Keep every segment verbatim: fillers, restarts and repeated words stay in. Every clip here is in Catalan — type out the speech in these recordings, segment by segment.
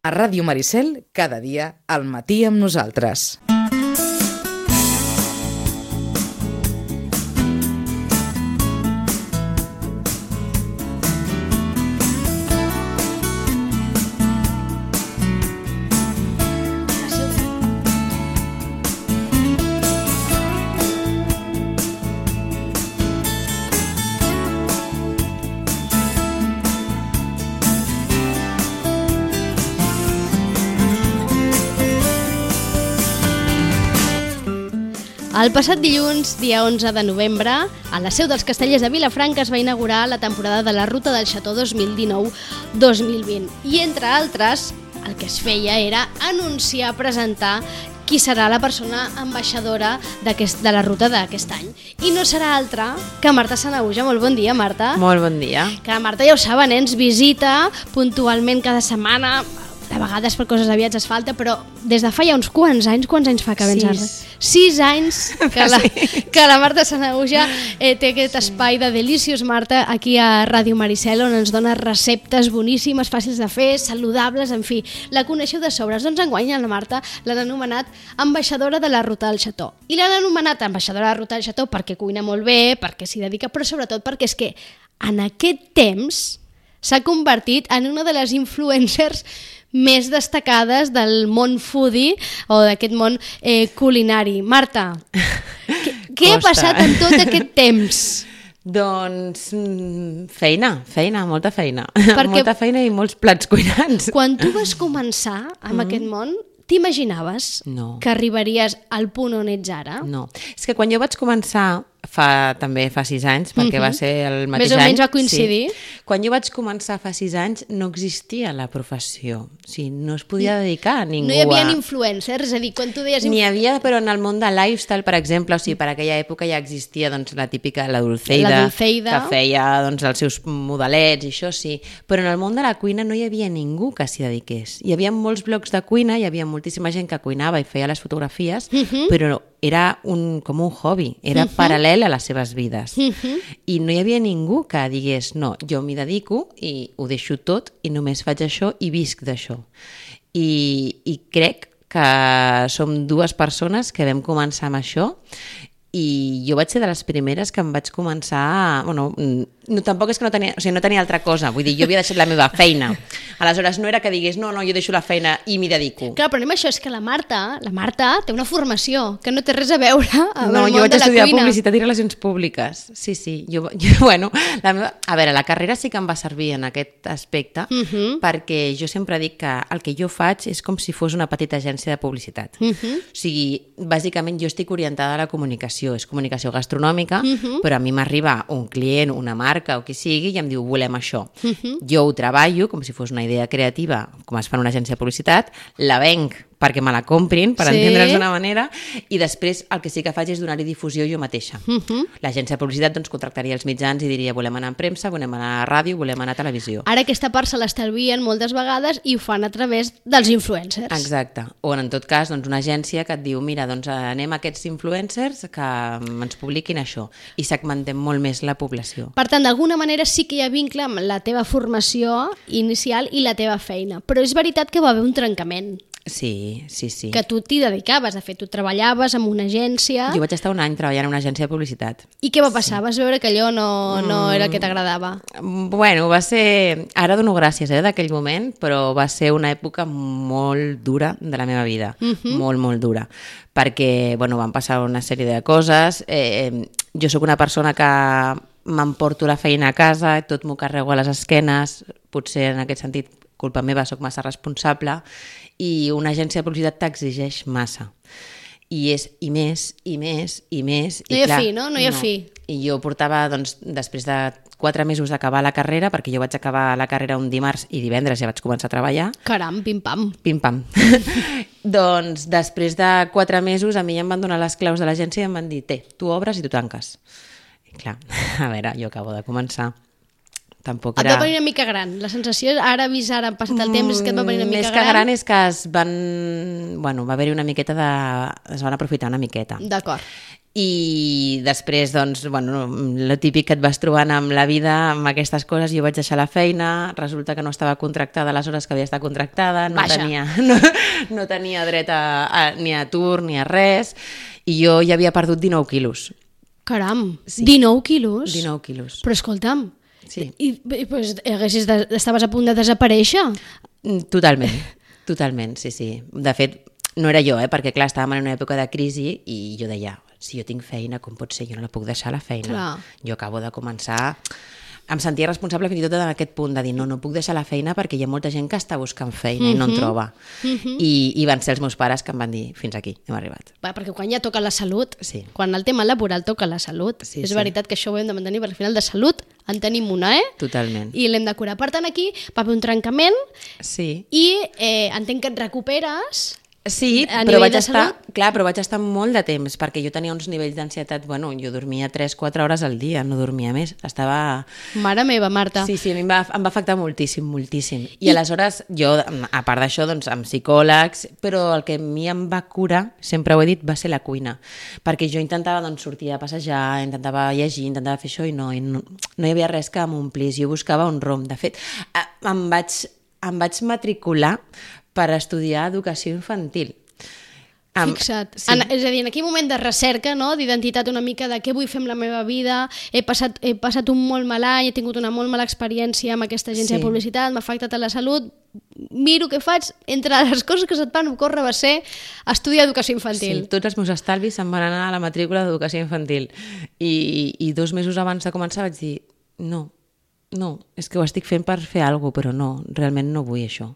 A Ràdio Maricel, cada dia, al matí amb nosaltres. El passat dilluns, dia onze de novembre, a la seu dels Castellers de Vilafranca es va inaugurar la temporada de la Ruta del Xató dos mil dinou dos mil vint. I, entre altres, el que es feia era anunciar, presentar qui serà la persona ambaixadora de la ruta d'aquest any. I no serà altra que Marta Sanahuja. Molt bon dia, Marta. Molt bon dia. Que la Marta, ja ho saben, ens visita puntualment cada setmana. De vegades per coses aviats es falta, però des de fa ja uns quants anys, quants anys fa que vens a... Sis. Sis anys que la, que la Marta Sanahuja eh, té aquest espai de Delicious Marta aquí a Ràdio Maricel, on ens dona receptes boníssimes, fàcils de fer, saludables, en fi, la coneixeu de sobres. Doncs enguany la Marta l'han anomenat ambaixadora de la Ruta del Xató. I l'han anomenat ambaixadora de la Ruta del Xató perquè cuina molt bé, perquè s'hi dedica, però sobretot perquè és que en aquest temps s'ha convertit en una de les influencers més destacades del món foodie o d'aquest món eh, culinari. Marta, què, què ha passat en tot aquest temps? Doncs feina, feina, molta feina. Perquè molta feina i molts plats cuinats. Quan tu vas començar amb mm. aquest món, t'imaginaves no. que arribaries al punt on ets ara? No. És que quan jo vaig començar, fa també fa sis anys, perquè mm-hmm. va ser el mateix any. Més o menys va coincidir. Sí. Quan jo vaig començar fa sis anys no existia la professió. O sigui, no es podia dedicar a ningú. No hi havia a... influencers, és a dir, quan tu deies... N'hi havia, però en el món de lifestyle, per exemple, o sigui, per aquella època ja existia doncs, la típica, la Dulceida, la Dulceida, que feia doncs, els seus modelets i això sí, però en el món de la cuina no hi havia ningú que s'hi dediqués. Hi havia molts blogs de cuina, hi havia moltíssima gent que cuinava i feia les fotografies, uh-huh. però era un, com un hobby, era uh-huh. paral·lel a les seves vides. Uh-huh. I no hi havia ningú que digués, no, jo m'hi dedico i ho deixo tot i només faig això i visc d'això. I, i crec que som dues persones que vam començar amb això i jo vaig ser de les primeres que em vaig començar... Bueno, no, tampoc és que no tenia, o sigui, no tenia altra cosa, vull dir, jo havia deixat la meva feina. Aleshores, no era que digués, no, no, jo deixo la feina i m'hi dedico. Clar, però anem a això, és que la Marta, la Marta té una formació que no té res a veure amb no, el món de la cuina. No, jo vaig estudiar Publicitat i Relacions Públiques. Sí, sí. Jo, jo, bueno, la meva... A veure, la carrera sí que em va servir en aquest aspecte, uh-huh. perquè jo sempre dic que el que jo faig és com si fos una petita agència de publicitat. Uh-huh. O sigui, bàsicament jo estic orientada a la comunicació, és comunicació gastronòmica, uh-huh. però a mi m'arriba un client, una marca o qui sigui i em diu volem això. Uh-huh. Jo ho treballo com si fos una idea creativa, com es fa en una agència de publicitat, la venc perquè me la comprin, per sí. entendre's d'una manera, i després el que sí que faig és donar-hi difusió jo mateixa. Uh-huh. L'agència de publicitat doncs, contractaria els mitjans i diria volem anar en premsa, volem anar a ràdio, volem anar a televisió. Ara aquesta part se l'estalvien moltes vegades i ho fan a través dels influencers. Exacte. O en tot cas doncs, una agència que et diu mira, doncs anem a aquests influencers que ens publiquin això i segmentem molt més la població. Per tant, d'alguna manera sí que hi ha vincle amb la teva formació inicial i la teva feina, però és veritat que va haver un trencament. Sí, sí, sí. Que tu t'hi dedicaves, de fet, tu treballaves en una agència... Jo vaig estar un any treballant en una agència de publicitat. I què va passar? Sí. Vas veure que allò no, no era el que t'agradava? Bueno, va ser... Ara dono gràcies eh, d'aquell moment, però va ser una època molt dura de la meva vida. Uh-huh. Molt, molt dura. Perquè, bueno, van passar una sèrie de coses. Eh, jo sóc una persona que m'emporto la feina a casa, tot m'ho carrego a les esquenes, potser en aquest sentit culpa meva, sóc massa responsable, i una agència de publicitat t'exigeix massa. I és i més, i més, i més... No hi ha fi, no? No hi ha fi. I jo portava, doncs, després de quatre mesos d'acabar la carrera, perquè jo vaig acabar la carrera un dimarts i divendres ja vaig començar a treballar. Caram, pim-pam. Pim-pam. Doncs després de quatre mesos a mi ja em van donar les claus de l'agència i em van dir, té, tu obres i tu tanques. I clar, a veure, jo acabo de començar. tampoc Et era... va venir una mica gran. La sensació, ara vist, ara ha passat el temps, és que et va venir una mica Més gran. que gran és que es van... Bueno, va haver-hi una miqueta de... Es van aprofitar una miqueta. D'acord. I després, doncs, bueno, el típic que et vas trobant amb la vida, amb aquestes coses, jo vaig deixar la feina, resulta que no estava contractada les hores que havia estat contractada, no Vaja. tenia, no, no tenia dret a, a, ni a atur ni a res, i jo ja havia perdut dinou quilos. Caram, Sí. dinou quilos? dinou quilos. Però escolta'm, Sí. i, i pues, haguessis de, estaves a punt de desaparèixer? Totalment, totalment, sí, sí. De fet, no era jo, eh? Perquè clar, estàvem en una època de crisi i jo deia, si jo tinc feina, com pot ser? Jo no la puc deixar la feina. Clar. Jo acabo de començar... Em sentia responsable fins i tot en aquest punt de dir no, no puc deixar la feina perquè hi ha molta gent que està buscant feina mm -hmm. i no en troba. Mm -hmm. I, I van ser els meus pares que em van dir fins aquí, hem arribat. Va, perquè quan ja toca la salut, Sí. quan el tema laboral toca la salut, Sí, és sí. veritat que això ho hem de mantenir, perquè al final de salut en tenim una, eh? Totalment. I l'hem de curar. Per tant, aquí va haver un trencament Sí. i eh, entenc que et recuperes... Sí, A però nivell vaig de estar, salut? clar, però vaig estar molt de temps, perquè jo tenia uns nivells d'ansietat, bueno, jo dormia tres quatre hores al dia, no dormia més, estava... Mare meva, Marta. Sí, sí, a mi em va, em va afectar moltíssim, moltíssim. I, I aleshores, jo, a part d'això, doncs, amb psicòlegs, però el que a mi em va curar, sempre ho he dit, va ser la cuina. Perquè jo intentava doncs, sortir a passejar, intentava llegir, intentava fer això, i no, i no, no hi havia res que m'omplís. Jo buscava un rom. De fet, em vaig, em vaig matricular per estudiar educació infantil. Am- Fixa't. sí. En, és a dir, en aquell moment de recerca, no? D'identitat una mica de què vull fer amb la meva vida, he passat, he passat un molt mal any, he tingut una molt mala experiència amb aquesta agència Sí. de publicitat, m'ha afectat a la salut, miro què faig, entre les coses que se't van ocórrer va ser estudiar educació infantil. Sí, tots els meus estalvis se'n van anar a la matrícula d'educació infantil. I, I dos mesos abans de començar vaig dir, no, no, és que ho estic fent per fer alguna cosa, però no, realment no vull això.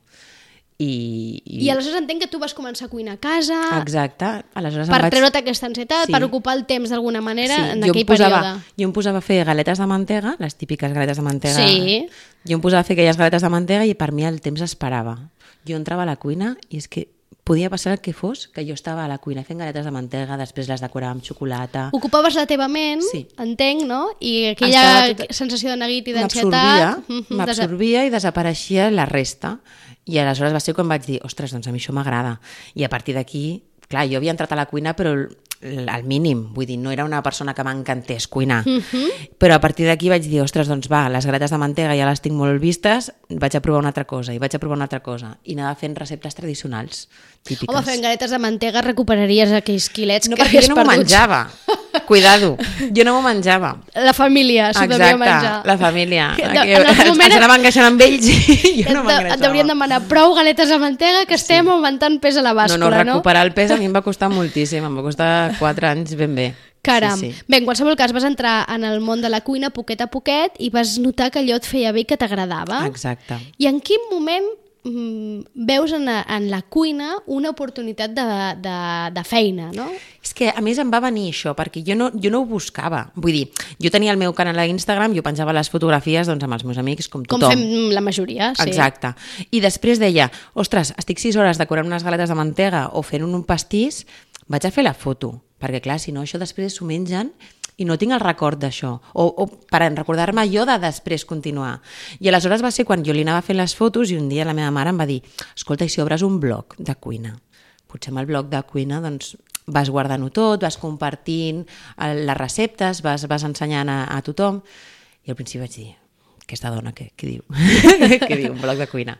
I, i... I aleshores entenc que tu vas començar a cuinar a casa, Exacte. Aleshores per em vaig... treure't aquesta ansietat, Sí. per ocupar el temps d'alguna manera en jo em aquell posava, període. Jo em posava a fer galetes de mantega, les típiques galetes de mantega. Sí. Jo em posava a fer aquelles galetes de mantega i per mi el temps esperava. Jo entrava a la cuina i és que podia passar el que fos, que jo estava a la cuina fent galetes de mantega, després les decorava amb xocolata. Ocupaves la teva ment, Sí. entenc, no? I aquella Estava tot- sensació de neguit i M'absorbia, d'ansietat... mhm, m'absorbia i desapareixia la resta. I aleshores va ser quan vaig dir, ostres, doncs a mi això m'agrada. I a partir d'aquí, clar, jo havia entrat a la cuina, però al mínim, vull dir, no era una persona que m'encantés cuinar. Mhm. Però a partir d'aquí vaig dir, ostres, doncs va, les galetes de mantega ja les tinc molt vistes, vaig a provar una altra cosa, i vaig a provar una altra cosa. I anava fent receptes tradicionals, típiques. Home, fent galetes de mantega recuperaries aquells quilets No, que perquè havies jo no m'ho perduts. menjava. Cuidado, jo no m'ho menjava. La família s'ho devia menjar. Exacte, la família. Que de- Que, en el moment- ens anaven queixant amb ells i jo no Et, m'engreixava. et deurien demanar prou galetes de mantega que estem augmentant pes a la No, bàscula, no, no? recuperar el pes a mi em va costar moltíssim, em va costar quatre anys ben bé. Caram. Sí, sí. Bé, en qualsevol cas, vas entrar en el món de la cuina poquet a poquet i vas notar que allò et feia bé i que t'agradava. Exacte. I en quin moment mm, veus en la, en la cuina una oportunitat de, de, de feina, no? És que a més em va venir això, perquè jo no, jo no ho buscava. Vull dir, jo tenia el meu canal a Instagram, jo penjava les fotografies doncs, amb els meus amics, com Com tothom. fem la majoria, sí. Exacte. I després deia, ostres, estic sis hores decorant unes galetes de mantega o fent un pastís, vaig a fer la foto, perquè clar, si no això després s'ho mengen i no tinc el record d'això, o, o per recordar-me jo de després continuar. I aleshores va ser quan jo li anava fent les fotos i un dia la meva mare em va dir, escolta, i si obres un blog de cuina? Potser amb el blog de cuina doncs, vas guardant-ho tot, vas compartint eh, les receptes, vas, vas ensenyant a, a tothom. I al principi vaig dir, aquesta dona, què, què diu? Què diu, un blog de cuina?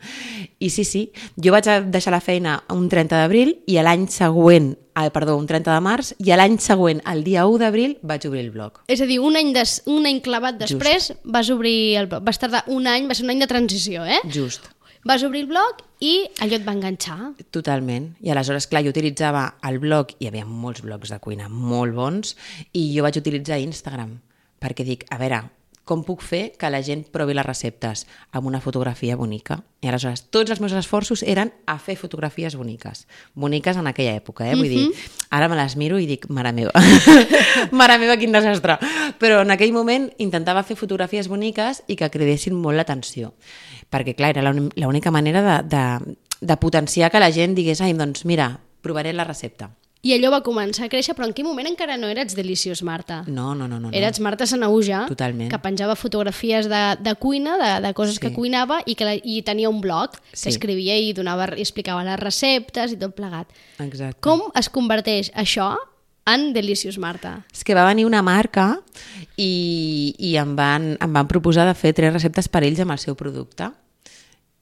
I sí, sí, jo vaig deixar la feina un trenta d'abril i l'any següent, ah, perdó, un trenta de març, i l'any següent, el dia u d'abril, vaig obrir el blog. És a dir, un any, des, un any clavat després Just. vas obrir el blog. Vas tardar un any, va ser un any de transició, eh? Just. Vas obrir el blog i allò et va enganxar. Totalment. I aleshores, clar, jo utilitzava el blog, hi havia molts blogs de cuina molt bons, i jo vaig utilitzar Instagram, perquè dic, a veure, com puc fer que la gent provi les receptes amb una fotografia bonica? I aleshores tots els meus esforços eren a fer fotografies boniques. Boniques en aquella època, eh? Vull dir, ara me les miro i dic, mare meva, mare meva, quin desastre. Però en aquell moment intentava fer fotografies boniques i que cridessin molt l'atenció. Perquè, clar, era l'única manera de, de, de potenciar que la gent digués, ai, doncs mira, provaré la recepta. i allò va començar a créixer, però en quin moment encara no eres Delicious Marta? No, no, no. no, no. Eres Marta Sanahuja, Totalment. que penjava fotografies de, de cuina, de, de coses sí. que cuinava, i que la, i tenia un blog Sí. que escrivia i, donava, i explicava les receptes i tot plegat. Exacte. Com es converteix això en Delicious Marta? És que va venir una marca i, i em, van, em van proposar de fer tres receptes per ells amb el seu producte.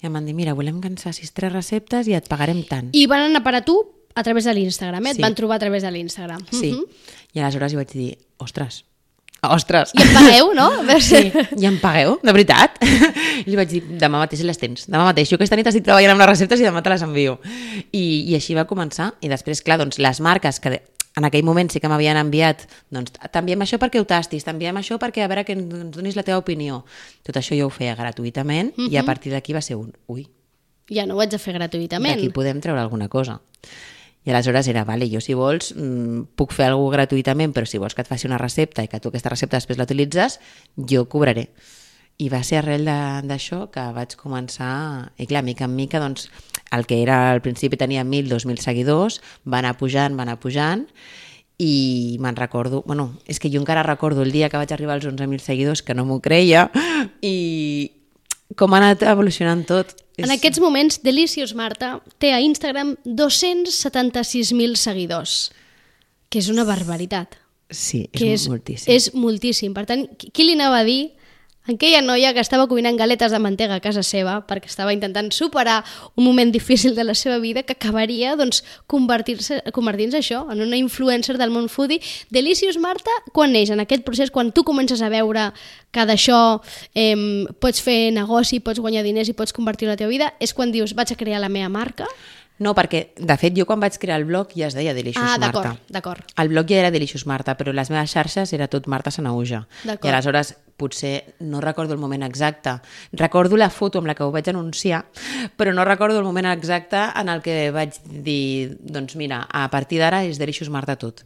I em van dir, mira, volem que ens facis tres receptes i et pagarem tant. I van anar per a tu a través de l'Instagram, eh? Et Sí. van trobar a través de l'Instagram. Sí. Mhm. I aleshores jo vaig dir, ostres, ostres. I em pagueu, no? Sí, i em pagueu, de veritat? I li vaig dir, demà mateix les tens, demà mateix. Jo aquesta nit estic treballant amb les receptes i demà te les envio. I, i així va començar. I després, clar, doncs, les marques que en aquell moment sí que m'havien enviat, doncs, t'enviem això perquè ho tastis, t'enviem això perquè a veure que ens donis la teva opinió. Tot això jo ho feia gratuïtament uh -huh. i a partir d'aquí va ser un, ui, Ja no ho haig de fer gratuïtament. d'aquí podem treure alguna cosa. I aleshores era, vale, jo si vols mmm, puc fer alguna cosa gratuïtament, però si vols que et faci una recepta i que tu aquesta recepta després la utilitzes, jo cobraré. I va ser arrel d'això que vaig començar, i clar, mica en mica, doncs, el que era al principi tenia mil, dos mil seguidors, va anar pujant, va anar pujant, i me'n recordo, bueno, és que jo encara recordo el dia que vaig arribar als onze mil seguidors, que no m'ho creia, i com ha anat evolucionant tot. En aquests moments, Delicious Marta té a Instagram dos-cents setanta-sis mil seguidors, que és una barbaritat. Sí, és, que és moltíssim. És moltíssim. Per tant, qui li anava a dir a aquella noia que estava cuinant galetes de mantega a casa seva perquè estava intentant superar un moment difícil de la seva vida, que acabaria doncs, convertir-se convertint-se això en una influencer del món foodie. Delicious Marta, quan neix en aquest procés, quan tu comences a veure que d'això eh, pots fer negoci, pots guanyar diners i pots convertir la teva vida, és quan dius, vaig a crear la meva marca? No, perquè, de fet, jo quan vaig crear el blog ja es deia Delicious Ah, Marta. d'acord, d'acord. El blog ja era Delicious Marta, però les meves xarxes era tot Marta Sanahuja. D'acord. I aleshores, potser, no recordo el moment exacte. Recordo la foto amb la que ho vaig anunciar, però no recordo el moment exacte en el que vaig dir, doncs mira, a partir d'ara és Delicious Marta tot.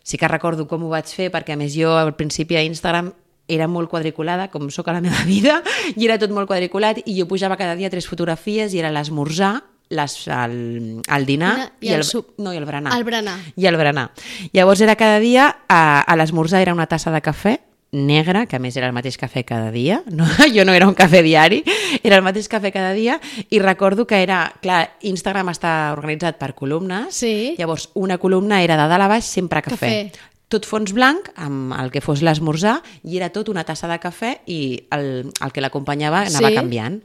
Sí que recordo com ho vaig fer, perquè a més jo al principi a Instagram era molt quadriculada, com sóc a la meva vida, i era tot molt quadriculat, i jo pujava cada dia tres fotografies i era l'esmorzar, les, el, el dinar I el i el, sup. no, i el berenar. El berenar. I el berenar. Llavors era cada dia, a, a l'esmorzar era una tassa de cafè negre, que a més era el mateix cafè cada dia, no? Jo no era un cafè diari, era el mateix cafè cada dia, i recordo que era, clar, Instagram està organitzat per columnes, Sí. llavors una columna era de dalt a baix sempre cafè. Cafè. Tot fons blanc, amb el que fos l'esmorzar, i era tot una tassa de cafè i el, el que l'acompanyava anava Sí. canviant.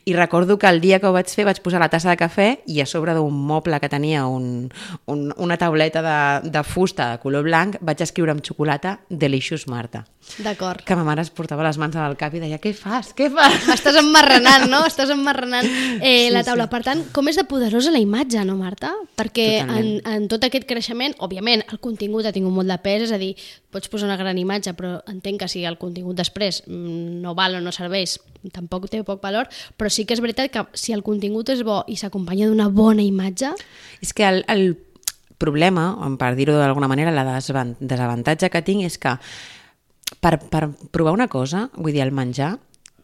I recordo que el dia que ho vaig fer vaig posar la tassa de cafè i a sobre d'un moble que tenia un, un, una tauleta de, de fusta de color blanc vaig escriure amb xocolata Delicious Marta. D'acord. Que ma mare es portava les mans al cap i deia, què fas, què fas? Estàs emmarranant, no? Estàs emmarranant eh, Sí, la taula. sí. Per tant, com és de poderosa la imatge, no, Marta? Perquè en, Totalment. en tot aquest creixement, òbviament, el contingut ha tingut molt de pes, és a dir, pots posar una gran imatge, però entenc que si el contingut després mm, no val o no serveix, tampoc té poc valor, però sí que és veritat que si el contingut és bo i s'acompanya d'una bona imatge... És que el, el problema, per dir-ho d'alguna manera, la desavan- desavantatge que tinc és que per, per provar una cosa, vull dir, el menjar,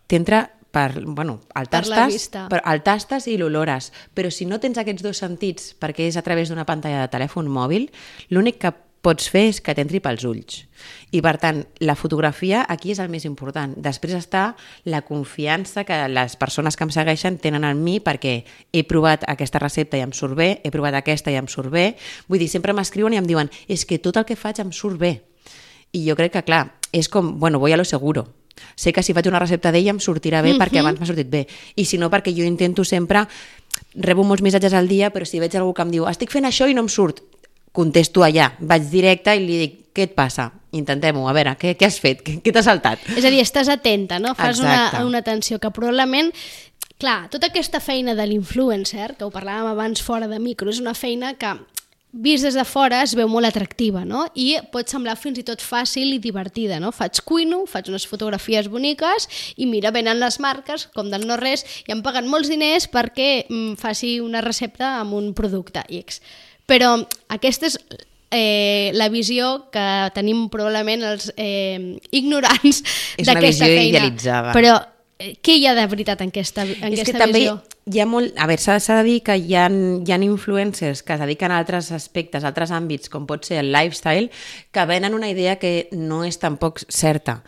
t'entra per, bueno, el Per la tastes, vista. per, el tastes i l'olores, però si no tens aquests dos sentits, perquè és a través d'una pantalla de telèfon mòbil, l'únic que pots fer és que t'entri pels ulls. I per tant, la fotografia aquí és el més important. Després està la confiança que les persones que em segueixen tenen en mi perquè he provat aquesta recepta i em surt bé, he provat aquesta i em surt bé. Vull dir, sempre m'escriuen i em diuen és que tot el que faig em surt bé. I jo crec que, clar, és com, bueno, voy a lo seguro. Sé que si faig una recepta d'ella em sortirà bé mm-hmm. perquè abans m'ha sortit bé. I si no, perquè jo intento sempre, rebo molts missatges al dia, però si veig algú que em diu estic fent això i no em surt, contesto allà, vaig directe i li dic, què et passa? Intentem-ho, a veure, què, què has fet? Què, què t'ha saltat? És a dir, estàs atenta, no? Fas una, Exacte. una atenció que probablement... Clar, tota aquesta feina de l'influencer, que ho parlàvem abans fora de micro, és una feina que vist des de fora es veu molt atractiva, no? I pot semblar fins i tot fàcil i divertida, no? Faig cuino, faig unes fotografies boniques i mira, venen les marques, com del no res, i em paguen molts diners perquè mm, faci una recepta amb un producte X. Però aquesta és eh, la visió que tenim probablement els eh, ignorants És una d'aquesta visió feina. idealitzada. Però què hi ha de veritat en aquesta, en és aquesta que també visió? hi ha molt... A veure, s'ha de dir que hi ha, hi ha influencers que es dediquen a altres aspectes, a altres àmbits, com pot ser el lifestyle, que venen una idea que no és tampoc certa.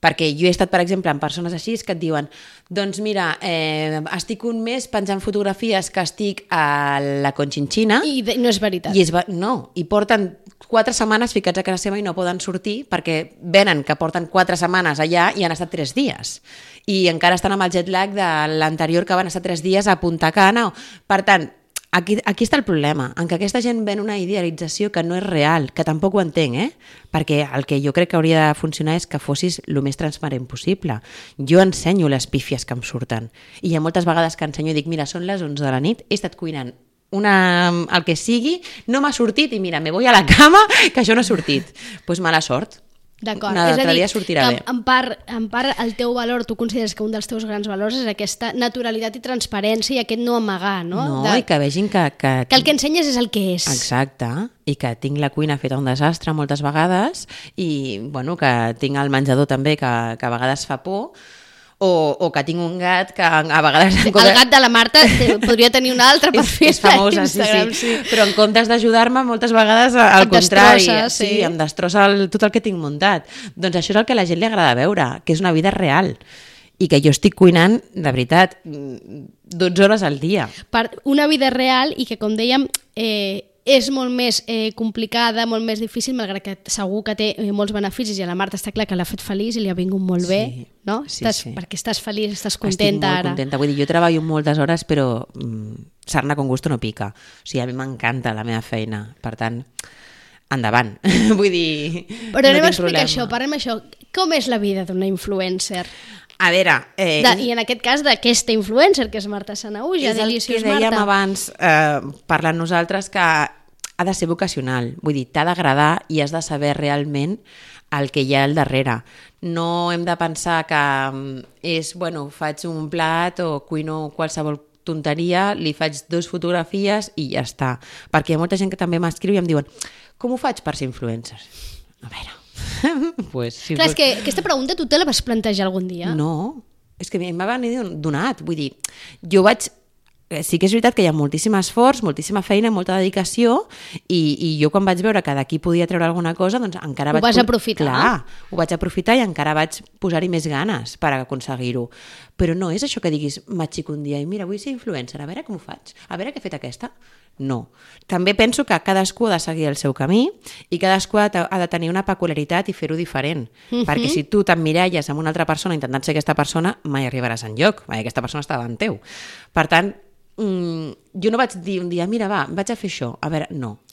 Perquè jo he estat, per exemple, amb persones així que et diuen doncs mira, eh, estic un mes penjant fotografies que estic a la Conchinchina... I de, no és veritat. I és, no, i porten quatre setmanes ficats a casa seva i no poden sortir perquè venen que porten quatre setmanes allà i han estat tres dies. I encara estan amb el jet lag de l'anterior que van estar tres dies a Punta Cana. Per tant, aquí, aquí està el problema, en què aquesta gent ven una idealització que no és real, que tampoc ho entenc, eh? Perquè el que jo crec que hauria de funcionar és que fossis el més transparent possible. Jo ensenyo les pífies que em surten. I hi ha moltes vegades que ensenyo i dic, mira, són les onze de la nit, he estat cuinant una, el que sigui, no m'ha sortit i mira, me voy a la cama, que això no ha sortit. Doncs pues mala sort. D'acord, Una és a dir, dia sortirà que bé. en part, en part el teu valor, tu consideres que un dels teus grans valors és aquesta naturalitat i transparència i aquest no amagar, no? No, de, i que vegin que, que... que el que ensenyes és el que és. Exacte, i que tinc la cuina feta un desastre moltes vegades i bueno, que tinc el menjador també que, que a vegades fa por, o, o que tinc un gat que a vegades... El gat de la Marta podria tenir un altre perfil és, és famosa, sí, sí, sí. Però en comptes d'ajudar-me moltes vegades al et contrari, destrossa, sí. sí. Em destrossa el, tot el que tinc muntat. Doncs això és el que a la gent li agrada veure, que és una vida real i que jo estic cuinant, de veritat, dotze hores al dia. Per una vida real i que, com dèiem, eh, és molt més eh, complicada, molt més difícil, malgrat que segur que té eh, molts beneficis i a la Marta està clar que l'ha fet feliç i li ha vingut molt Sí, bé, no? sí, estàs, sí. Perquè estàs feliç, estàs Estic contenta molt ara. contenta. Vull dir, jo treballo moltes hores, però mm, sarna con gusto no pica. O sigui, a mi m'encanta la meva feina. Per tant, endavant. Vull dir, Però no anem a tinc explicar problema. això, parlem això. Com és la vida d'una influencer? A veure... Eh, De, I en aquest cas d'aquesta influencer, que és Marta Sanahuja, és el que Delicious dèiem Marta. abans, eh, parlant nosaltres, que ha de ser vocacional. Vull dir, t'ha d'agradar i has de saber realment el que hi ha al darrere. No hem de pensar que és, bueno, faig un plat o cuino qualsevol tonteria, li faig dues fotografies i ja està. Perquè hi ha molta gent que també m'escriu i em diuen com ho faig per ser influencer? A veure... pues, si Clar, fos... és que aquesta pregunta tu te la vas plantejar algun dia? No, és que em va venir donat. Vull dir, jo vaig... Sí que és veritat que hi ha moltíssim esforç, moltíssima feina, molta dedicació i, i jo quan vaig veure que d'aquí podia treure alguna cosa, doncs encara Ho vaig... vas aprofitar. Clar, ho vaig aprofitar i encara vaig posar-hi més ganes per aconseguir-ho. Però no és això que diguis, m'aixeco un dia i mira, vull ser influencer, a veure com ho faig, a veure què ha fet aquesta. No. També penso que cadascú ha de seguir el seu camí i cadascú ha de, ha de tenir una peculiaritat i fer-ho diferent. Mhm. Perquè si tu t'emmiralles amb una altra persona intentant ser aquesta persona, mai arribaràs enlloc, perquè aquesta persona està davant teu. Per tant, Mm, jo no vaig dir un dia, mira, va, vaig a fer això. A veure, no.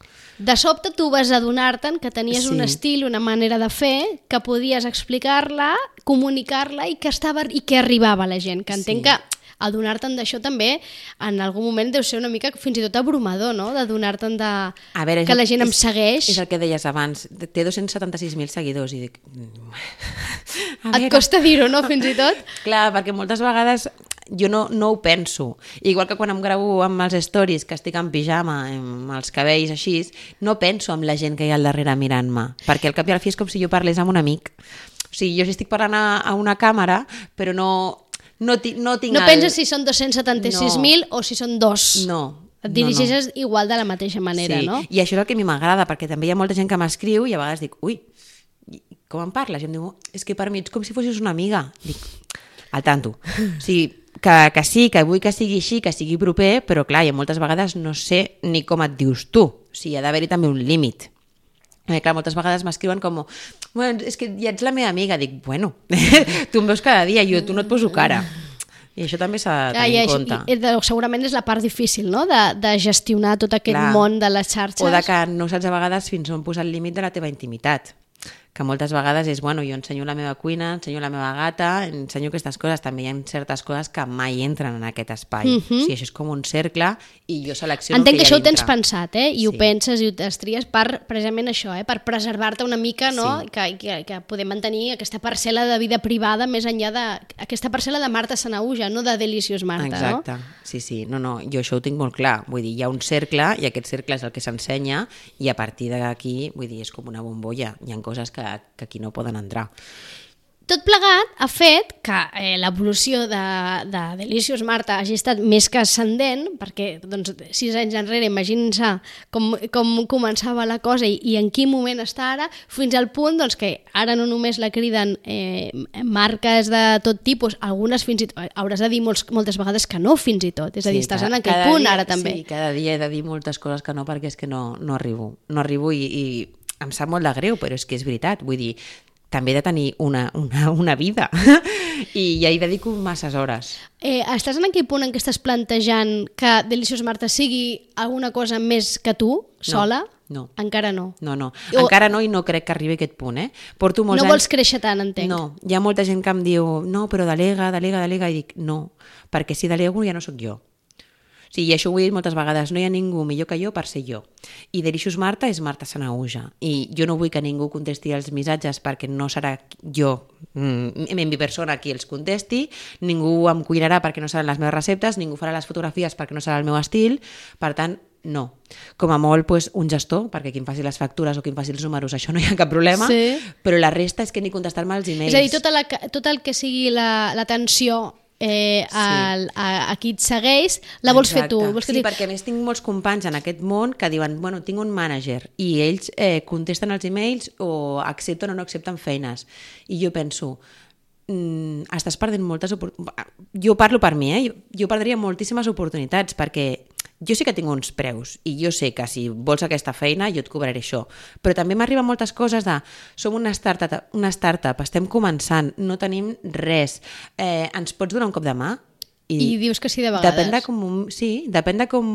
De sobte tu vas adonar-te'n que tenies Sí. un estil, una manera de fer, que podies explicar-la, comunicar-la i que estava i que arribava a la gent. Que entenc Sí. que adonar-te'n d'això també en algun moment deu ser una mica fins i tot abrumador, no? D'adonar-te'n de... A veure, que és, la gent em és, segueix. És el que deies abans. Té dos-cents setanta-sis mil seguidors i dic... A Et costa dir-ho, no? Fins i tot? Clar, perquè moltes vegades jo no, no ho penso. Igual que quan em gravo amb els stories, que estic en pijama, amb els cabells així, no penso en la gent que hi ha al darrere mirant-me, perquè al cap i al fi és com si jo parlés amb un amic. O sigui, jo sí estic parlant a, a una càmera, però no, no, ti, no tinc... No el... penses si són dos-cents setanta-sis mil No. o si són dos. No. Et dirigeixes no, no. igual de la mateixa manera, sí. no? I això és el que a mi m'agrada, perquè també hi ha molta gent que m'escriu i a vegades dic, ui, com em parles? I em diu, és que per mi ets com si fossis una amiga. Dic, al tanto. O sigui, que, que sí, que vull que sigui així, que sigui proper, però clar, i moltes vegades no sé ni com et dius tu. O sigui, ha d'haver-hi també un límit. Eh, clar, moltes vegades m'escriuen com, bueno, és que ja ets la meva amiga. Dic, bueno, tu em veus cada dia, jo tu no et poso cara. I això també s'ha de tenir Ah, en compte. i, i, segurament és la part difícil, no?, de, de gestionar tot aquest Clar. món de les xarxes. O de que no saps a vegades fins on posar el límit de la teva intimitat. Que moltes vegades és, bueno, jo ensenyo la meva cuina, ensenyo la meva gata, ensenyo aquestes coses. També hi ha certes coses que mai entren en aquest espai. Mhm. O sigui, això és com un cercle i jo selecciono Entenc que el que hi això ha ho tens dintre. pensat, eh? I Sí. ho penses i ho estries per, precisament això, eh? Per preservar-te una mica, no? Sí. Que, que, que podem mantenir aquesta parcel·la de vida privada més enllà de... Aquesta parcel·la de Marta Sanahuja, no de Delicious Marta, Exacte, no? sí, sí. No, no, jo això ho tinc molt clar. Vull dir, hi ha un cercle i aquest cercle és el que s'ensenya i a partir d'aquí, vull dir, és com una bombolla. Hi ha coses que, que aquí no poden entrar. Tot plegat ha fet que eh, l'evolució de, de Delicious Marta hagi estat més que ascendent, perquè doncs, sis anys enrere, imaginin-se com, com començava la cosa i, i en quin moment està ara, fins al punt doncs, que ara no només la criden eh, marques de tot tipus, algunes fins i tot, hauràs de dir molts, moltes vegades que no fins i tot, és a dir, sí, estàs en aquell punt dia, ara també. Sí, cada dia he de dir moltes coses que no, perquè és que no, no arribo, no arribo i, i em sap molt de greu, però és que és veritat, vull dir, també he de tenir una, una, una vida i ja hi dedico masses hores. Eh, estàs en aquell punt en què estàs plantejant que Delicious Marta sigui alguna cosa més que tu, sola? No. Encara no. No, no. O... Encara no i no crec que arribi a aquest punt, eh? Porto molts no anys... vols créixer tant, entenc. No, hi ha molta gent que em diu no, però delega, delega, delega, i dic no, perquè si delego ja no sóc jo. Sí, i això ho he dit moltes vegades, no hi ha ningú millor que jo per ser jo. I Delicious Marta és Marta Sanahuja. I jo no vull que ningú contesti els missatges perquè no serà jo, en mi persona, qui els contesti, ningú em cuinarà perquè no seran les meves receptes, ningú farà les fotografies perquè no serà el meu estil, per tant, no. Com a molt, pues, un gestor, perquè qui em faci les factures o qui em faci els números, això no hi ha cap problema, sí. Però la resta és que ni contestar-me els e-mails. És a dir, tota la, tot el que sigui l'atenció la, Eh, el, sí. a, a qui et segueix, la vols Exacte. Fer tu. Vols que sí, perquè a més tinc molts companys en aquest món que diuen, bueno, tinc un mànager i ells eh, contesten els e-mails o accepten o no accepten feines. I jo penso, mm, estàs perdent moltes oportunitats. Jo parlo per mi, eh? Jo, jo perdria moltíssimes oportunitats perquè jo sí que tinc uns preus i jo sé que si vols aquesta feina jo et cobraré això, però també m'arriben moltes coses de som una startup, una startup, estem començant, no tenim res, eh, ens pots donar un cop de mà? I, I dius que sí de vegades. Depèn de com, sí, depèn de com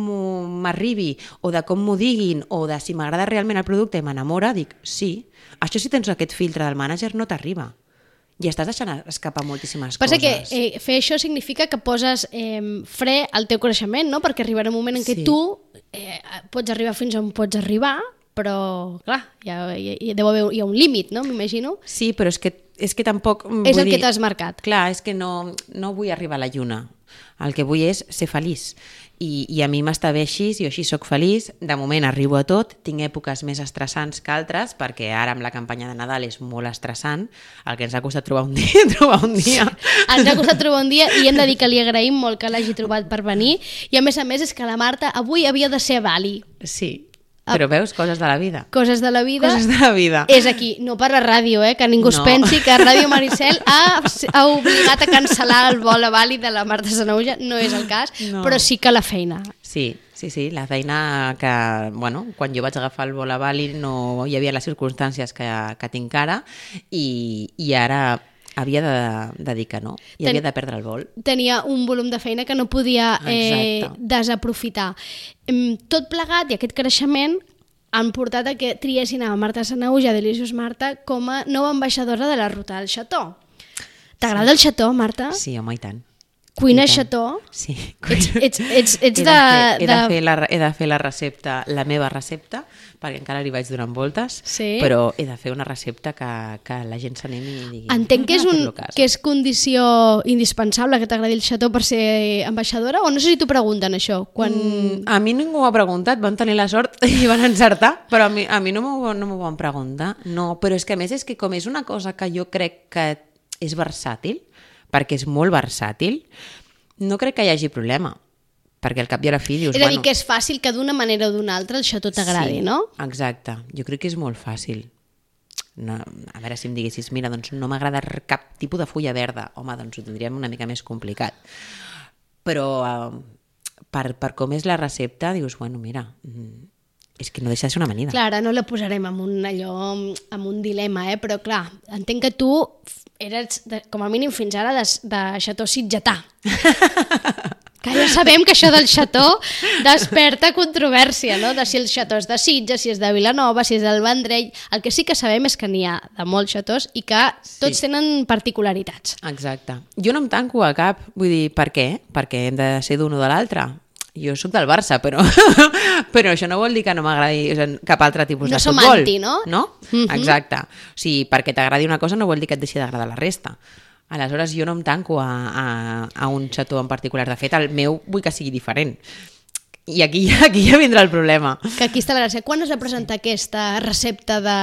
m'arribi o de com m'ho diguin o de si m'agrada realment el producte i m'enamora, dic sí. Això si tens aquest filtre del mànager no t'arriba. I estàs deixant escapar moltíssimes Passa coses. Passa que eh, fer això significa que poses eh, fre al teu creixement, no? Perquè arribarà un moment en què sí. tu eh, pots arribar fins on pots arribar, però, clar, hi ha, hi, hi, deu haver, hi ha un límit, no? M'imagino. Sí, però és que, és que tampoc... És el dir, que t'has marcat. Clar, és que no, no vull arribar a la lluna. El que vull és ser feliç. I, i a mi m'està bé així, jo així soc feliç, de moment arribo a tot, tinc èpoques més estressants que altres, perquè ara amb la campanya de Nadal és molt estressant, el que ens ha costat trobar un dia, trobar un dia. Ens ha costat trobar un dia i hem de dir que li agraïm molt que l'hagi trobat per venir, i a més a més és que la Marta avui havia de ser a Bali. Sí. Però veus, coses de la vida. Coses de la vida. Coses de la vida. És aquí, no per la ràdio, eh? Que ningú no. es pensi que Ràdio Maricel ha, ha obligat a cancel·lar el vol a Bali de la Marta Sanahuja, no és el cas, no. Però sí que la feina. Sí, sí, sí, la feina que, bueno, quan jo vaig agafar el vol a Bali no hi havia les circumstàncies que, que tinc ara i, i ara... havia de, de dir que no, i Ten, havia de perdre el vol. Tenia un volum de feina que no podia eh, desaprofitar. Tot plegat i aquest creixement han portat a que triessin a Marta Sanahuja, Delicious Marta, com a nova ambaixadora de la ruta del Xató. T'agrada sí. el Xató, Marta? Sí, home, i tant. Cuina Xató? Sí. Ets, ets, ets, ets he, de fer, he, de... De fer la, he de fer la recepta, la meva recepta, perquè encara li vaig donant voltes, sí. Però he de fer una recepta que, que la gent s'animi i digui... Entenc que és, un, que és condició indispensable que t'agradi el Xató per ser ambaixadora, o no sé si t'ho pregunten això? Quan... Mm, a mi ningú m'ho ha preguntat, van tenir la sort i van encertar, però a mi, a mi no m'ho no m'ho van preguntar. No, però és que a més és que com és una cosa que jo crec que és versàtil, perquè és molt versàtil, no crec que hi hagi problema, perquè al cap i a la fi dius... És a dir, bueno, que és fàcil que d'una manera o d'una altra el Xató t'agradi, sí, no? Exacte, jo crec que és molt fàcil. No, a veure si em diguessis, mira, doncs no m'agrada cap tipus de fulla verda, home, doncs ho tindríem una mica més complicat. Però eh, per, per com és la recepta, dius, bueno, mira... és que no deixa de ser una amanida. Clar, ara no la posarem en un, allò, en un dilema, eh? Però clar, entenc que tu eres, de, com a mínim fins ara, de, de Xató sitgetà. Que ja sabem que això del Xató desperta controvèrsia, no? De si el Xató és de Sitges, si és de Vilanova, si és del Vendrell... El que sí que sabem és que n'hi ha de molts xatós i que tots sí. Tenen particularitats. Exacte. Jo no em tanco a cap, vull dir, per què? Perquè hem de ser d'un o de l'altre. Jo soc del Barça, però, però això no vol dir que no m'agradi cap altre tipus no de futbol. No som anti, no? No? Mm-hmm. Exacte. O sigui, perquè t'agradi una cosa no vol dir que et deixi d'agradar la resta. Aleshores, jo no em tanco a, a, a un xató en particular. De fet, el meu vull que sigui diferent. I aquí, aquí ja vindrà el problema. Que aquí està la gràcia. Quan es va presentar aquesta recepta de,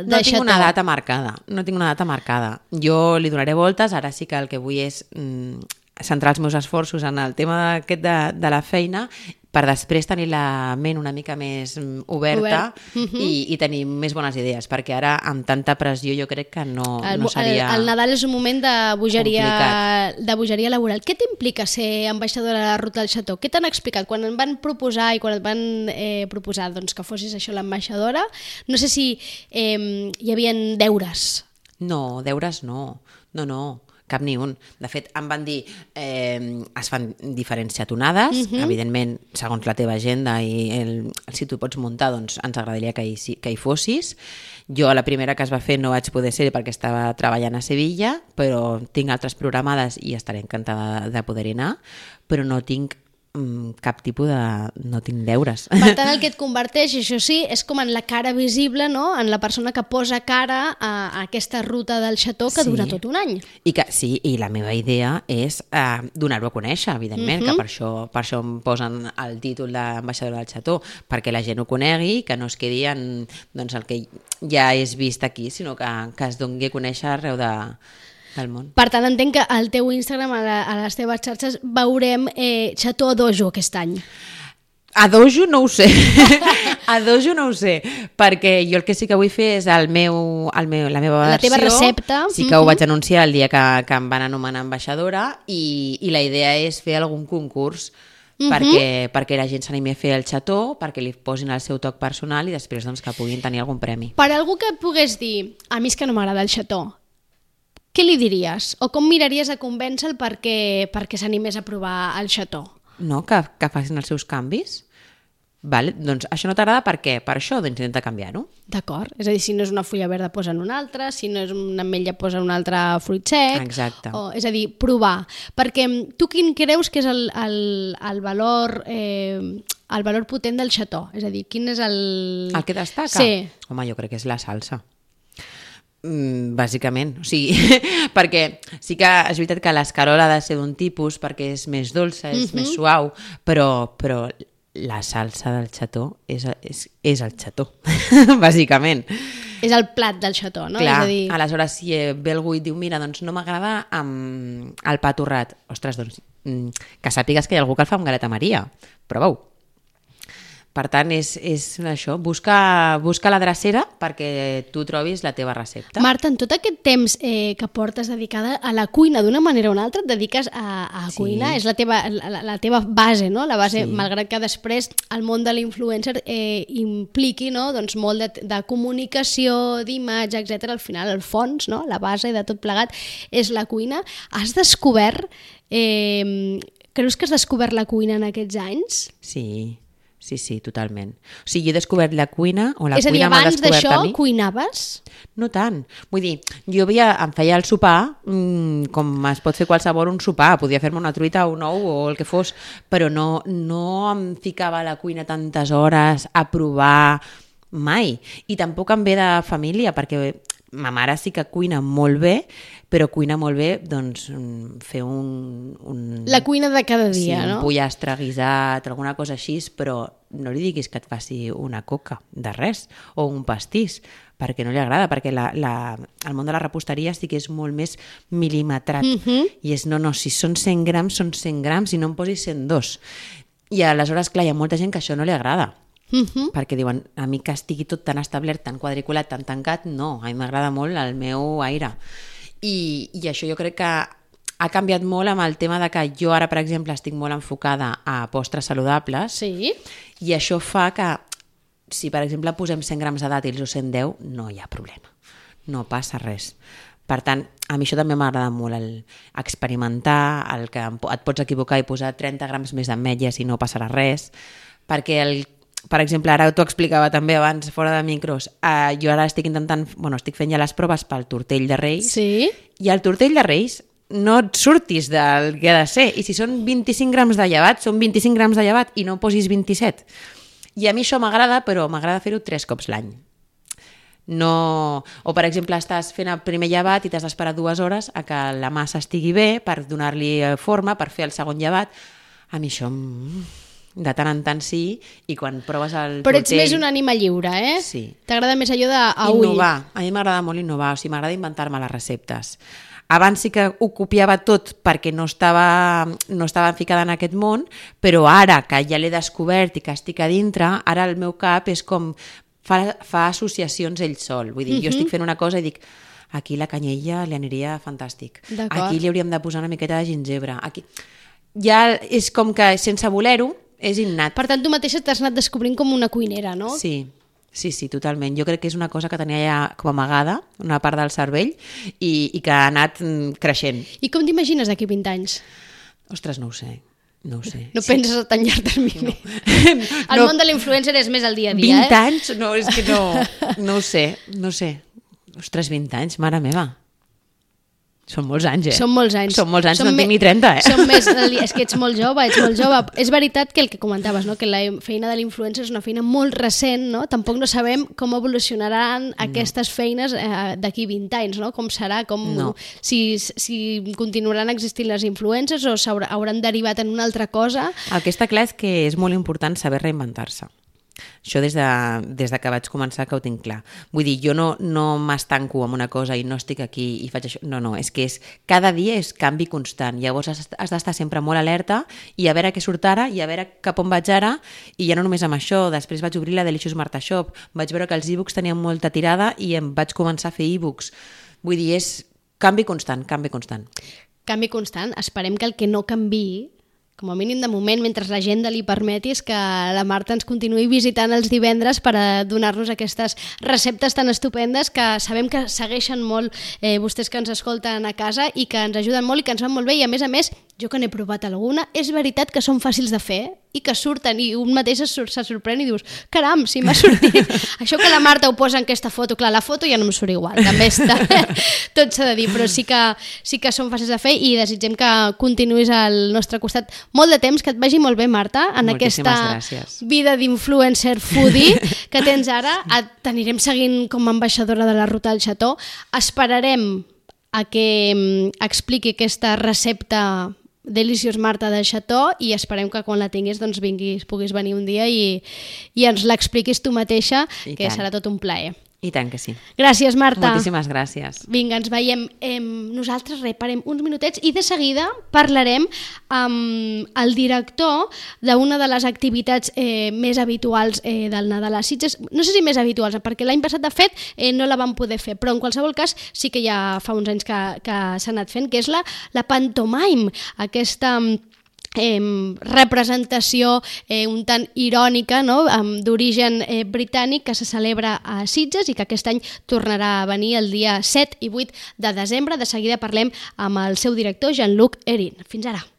de No tinc xató? una data marcada, no tinc una data marcada. Jo li donaré voltes, ara sí que el que vull és mm, centrar els meus esforços en el tema aquest de, de la feina per després tenir la ment una mica més oberta Obert. uh-huh. i, i tenir més bones idees, perquè ara amb tanta pressió jo crec que no, El, no seria... el, el Nadal és un moment de bogeria, complicat. de bogeria laboral. Què t'implica ser ambaixadora de la Ruta del Xató? Què t'han explicat? Quan em van proposar i quan et van eh, proposar doncs, que fossis això l'ambaixadora, no sé si eh, hi havia deures. No, deures no, no, no, cap ni un. De fet, em van dir, eh, es fan diferents xatonades, uh-huh. evidentment, segons la teva agenda i el, si tu pots muntar, doncs ens agradaria que hi, que hi fossis. Jo a la primera que es va fer no vaig poder ser perquè estava treballant a Sevilla, però tinc altres programades i estaré encantada de poder-hi anar, però no tinc cap tipus de... no tinc deures. Per tant, el que et converteix, això sí, és com en la cara visible, no? En la persona que posa cara a, a aquesta ruta del xató que sí. dura tot un any. I que, sí, i la meva idea és eh, donar-ho a conèixer, evidentment, uh-huh. que per això, per això em posen el títol d'ambaixadora del xató, perquè la gent ho conegui, que no es quedi en doncs, el que ja és vist aquí, sinó que, que es doni a conèixer arreu de... del món. Per tant, entenc que al teu Instagram, a, la, a les teves xarxes, veurem eh, xató a dojo aquest any. A dojo no ho sé. A dojo no ho sé, perquè jo el que sí que vull fer és el meu, el meu, la meva versió. La teva recepta. Sí que mm-hmm. ho vaig anunciar el dia que, que em van anomenar ambaixadora i, i la idea és fer algun concurs mm-hmm. perquè, perquè la gent s'animi a fer el xató, perquè li posin el seu toc personal i després doncs, que puguin tenir algun premi. Per algú que pogués dir, a mi és que no m'agrada el xató, què li diries? O com miraries a convèncer-lo perquè, perquè s'animés a provar el xató? No, que, que facin els seus canvis. Vale, doncs això no t'agrada per què? Per això, doncs intenta canviar-ho. D'acord. És a dir, si no és una fulla verda, posa'n una altra, si no és una ametlla, posa un altre fruit sec. Exacte. O, és a dir, provar. Perquè tu quin creus que és el, el, el valor... Eh, el valor potent del xató? És a dir, quin és el... El que destaca? Sí. Home, jo crec que és la salsa. Mm, bàsicament, o sigui, perquè sí que és veritat que l'escarola ha de ser d'un tipus perquè és més dolça, és mm-hmm. més suau, però, però la salsa del xató és, és, és el xató, bàsicament. És el plat del xató, no? Clar, és a dir... aleshores si ve algú i diu mira, doncs no m'agrada amb el pa torrat, ostres, doncs que sàpigues que hi ha algú que el fa amb galeta Maria, prova-ho. Per tant, és, és això, busca, busca la drecera perquè tu trobis la teva recepta. Marta, en tot aquest temps eh, que portes dedicada a la cuina d'una manera o una altra, et dediques a, a Sí. cuinar, és la teva, la, la teva base, no? La base, Sí. malgrat que després el món de l'influencer eh, impliqui no? doncs molt de, de comunicació, d'imatge, etcètera. Al final, el fons, no? La base de tot plegat és la cuina. Has descobert... Eh, creus que has descobert la cuina en aquests anys? Sí, sí, sí, totalment. O sigui, he descobert la cuina, o la és a dir, cuina m'ha abans descobert d'això a mi. cuinaves? No tant. Vull dir, jo havia, em feia el sopar, mmm, com es pot fer qualsevol un sopar, podia fer-me una truita o un ou o el que fos, però no, no em ficava a la cuina tantes hores a provar mai. I tampoc em ve de família, perquè ma mare sí que cuina molt bé, però cuina molt bé doncs, fer un... un... La cuina de cada dia, sí, no? un pollastre guisat, alguna cosa així, però no li diguis que et faci una coca de res, o un pastís, perquè no li agrada, perquè la, la, el món de la reposteria sí que és molt més mil·limetrat, Mhm. i és, no, no, si són cent grams, són cent grams, i no em posis cent dos. I aleshores, clar, hi ha molta gent que això no li agrada, Mhm. perquè diuen, a mi que estigui tot tan establert, tan quadriculat, tan tancat, no, a mi m'agrada molt el meu aire. I, i això jo crec que ha canviat molt amb el tema de que jo ara, per exemple, estic molt enfocada a postres saludables, Sí. i això fa que si, per exemple, posem cent grams de dàtils o cent deu, no hi ha problema, no passa res. Per tant, a mi això també m'agrada molt, el experimentar, el que et pots equivocar i posar trenta grams més d'ametlles i no passarà res, perquè el per exemple, ara t'ho explicava també abans fora de micros, eh, jo ara estic intentant, bueno, estic fent ja les proves pel tortell de Reis, Sí. i el tortell de Reis no et surtis del que ha de ser, i si són vint-i-cinc grams de llevat, són vint-i-cinc grams de llevat i no posis vint-i-set. I a mi això m'agrada, però m'agrada fer-ho tres cops l'any. No... O, per exemple, estàs fent el primer llevat i t'has d'esperar dues hores a que la massa estigui bé per donar-li forma, per fer el segon llevat. A mi això... de tant en tant sí, i quan proves el Però ets tortell... més una ànima lliure, eh? Sí. T'agrada més allò de a ull. Innovar. A mi m'agrada molt innovar, o sigui, m'agrada inventar-me les receptes. Abans sí que ho copiava tot perquè no estava, no estava ficada en aquest món, però ara que ja l'he descobert i que estic a dintre, ara el meu cap és com... fa, fa associacions ell sol. Vull dir, uh-huh. jo estic fent una cosa i dic aquí la canyella li aniria fantàstic. Aquí li hauríem de posar una miqueta de gingebre. Aquí... Ja és com que sense voler-ho és innat. Per tant, tu mateixa t'has anat descobrint com una cuinera, no? Sí, sí, sí, totalment. Jo crec que és una cosa que tenia ja com amagada, una part del cervell, i, i que ha anat creixent. I com t'imagines d'aquí vint anys? Ostres, no ho sé. No ho sé. No sí. penses a tan llarg termini. No. El no. món de l'influencer és més el dia a dia, vint eh? vint anys? No, és que no... No ho sé, no ho sé. Ostres, vint anys, mare meva. Són molts anys, eh? Són molts anys. Són molts anys, Som no me... tinc ni trenta, eh? Som més... És que ets molt jove, ets molt jove. És veritat que el que comentaves, no? Que la feina de l'influencer és una feina molt recent, no? Tampoc no sabem com evolucionaran no. aquestes feines eh, d'aquí vint anys, no? Com serà, com... No. Si, si continuaran existint les influencers o hauran derivat en una altra cosa. El que està clar és que és molt important saber reinventar-se. Això des de, des de que vaig començar que ho tinc clar. Vull dir, jo no, no m'estanco amb una cosa i no estic aquí i faig això. No, no, és que és, cada dia és canvi constant. Llavors has, has d'estar sempre molt alerta i a veure què surt ara i a veure cap on vaig ara, i ja no només amb això. Després vaig obrir la Delicious Marta Shop, vaig veure que els e-books tenien molta tirada i em vaig començar a fer e-books. Vull dir, és canvi constant, canvi constant. Canvi constant. Esperem que el que no canviï, com a mínim de moment, mentre l'agenda li permeti, és que la Marta ens continuï visitant els divendres per a donar-nos aquestes receptes tan estupendes que sabem que segueixen molt eh, vostès que ens escolten a casa i que ens ajuden molt i que ens van molt bé, i a més a més, jo que n'he provat alguna, és veritat que són fàcils de fer i que surten, i un mateix se, se sorprèn i dius, caram, si m'ha sortit. Això que la Marta ho posa en aquesta foto, clar, la foto ja no em surt igual, també està, tot s'ha de dir, però sí que, sí que són fàcils de fer i desitgem que continuïs al nostre costat molt de temps, que et vagi molt bé, Marta, en Moltíssimes aquesta gràcies. vida d'influencer foodie que tens ara. T'anirem seguint com a ambaixadora de la Ruta del Xató. Esperarem a que expliqui aquesta recepta Delicious Marta del Xató i esperem que quan la tinguis doncs vinguis, puguis venir un dia i, i ens l'expliquis tu mateixa, I que tant. Serà tot un plaer. I tant que sí. Gràcies, Marta. Moltíssimes gràcies. Vinga, ens veiem. Eh, nosaltres reparem uns minutets i de seguida parlarem amb el director d'una de les activitats eh, més habituals eh, del Nadal a Sitges. No sé si més habituals, perquè l'any passat, de fet, eh, no la vam poder fer, però en qualsevol cas sí que ja fa uns anys que, que s'ha anat fent, que és la, la pantomime, aquesta... Eh, representació eh, un tant irònica, no? um, d'origen eh, britànic, que se celebra a Sitges i que aquest any tornarà a venir el dia set i vuit de desembre. De seguida parlem amb el seu director, Jean-Luc Erin. Fins ara.